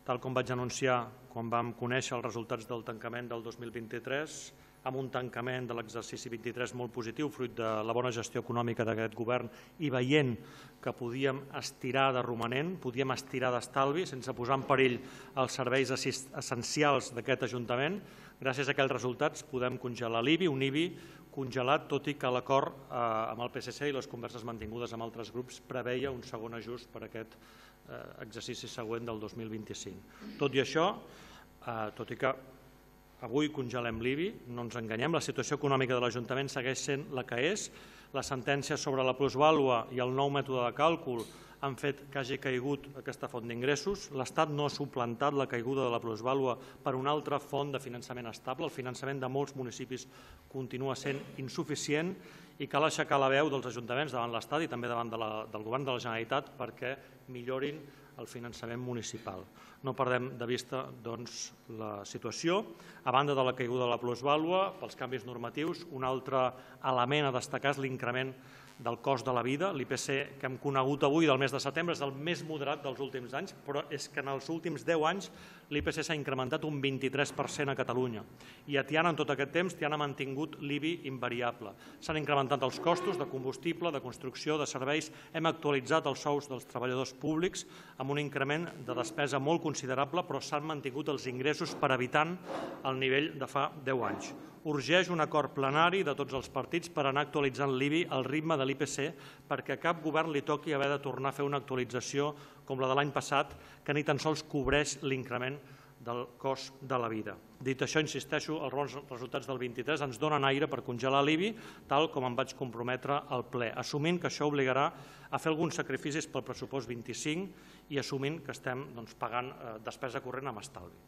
tal com vaig anunciar quan vam conèixer els resultats del tancament del 2023, amb un tancament de l'exercici 23 molt positiu, fruit de la bona gestió econòmica d'aquest govern i veient que podíem estirar de romanent, podíem estirar d'estalvi sense posar en perill els serveis essencials d'aquest Ajuntament. Gràcies a aquells resultats podem congelar l'IBI, un IBI congelat, tot i que l'acord amb el PSC i les converses mantingudes amb altres grups preveia un segon ajust per a aquest exercici següent del 2025. Tot i això, tot i que avui congelem l'IBI, no ens enganyem, la situació econòmica de l'Ajuntament segueix sent la que és. La sentència sobre la plusvàlua i el nou mètode de càlcul han fet que hagi caigut aquesta font d'ingressos. L'Estat no ha suplantat la caiguda de la plusvàlua per una altra font de finançament estable. El finançament de molts municipis continua sent insuficient i cal aixecar la veu dels ajuntaments davant l'Estat i també davant del Govern de la Generalitat perquè millorin el finançament municipal. No perdem de vista doncs, la situació. A banda de la caiguda de la plusvàlua, pels canvis normatius, un altre element a destacar és l'increment del cost de la vida. L'IPC que hem conegut avui del mes de setembre és el més moderat dels últims anys, però és que en els últims 10 anys l'IPC s'ha incrementat un 23% a Catalunya. I a Tiana, en tot aquest temps, Tiana ha mantingut l'IBI invariable. S'han incrementat els costos de combustible, de construcció, de serveis. Hem actualitzat els sous dels treballadors públics amb un increment de despesa molt considerable, però s'han mantingut els ingressos per habitant al nivell de fa 10 anys. Urgeix un acord plenari de tots els partits per anar actualitzant l'IBI al ritme de l'IPC perquè a cap govern li toqui haver de tornar a fer una actualització com la de l'any passat que ni tan sols cobreix l'increment del cost de la vida. Dit això, insisteixo, els bons resultats del 23 ens donen aire per congelar l'IBI, tal com em vaig comprometre al ple, assumint que això obligarà a fer alguns sacrificis pel pressupost 25 i assumint que estem pagant despesa corrent amb estalvi.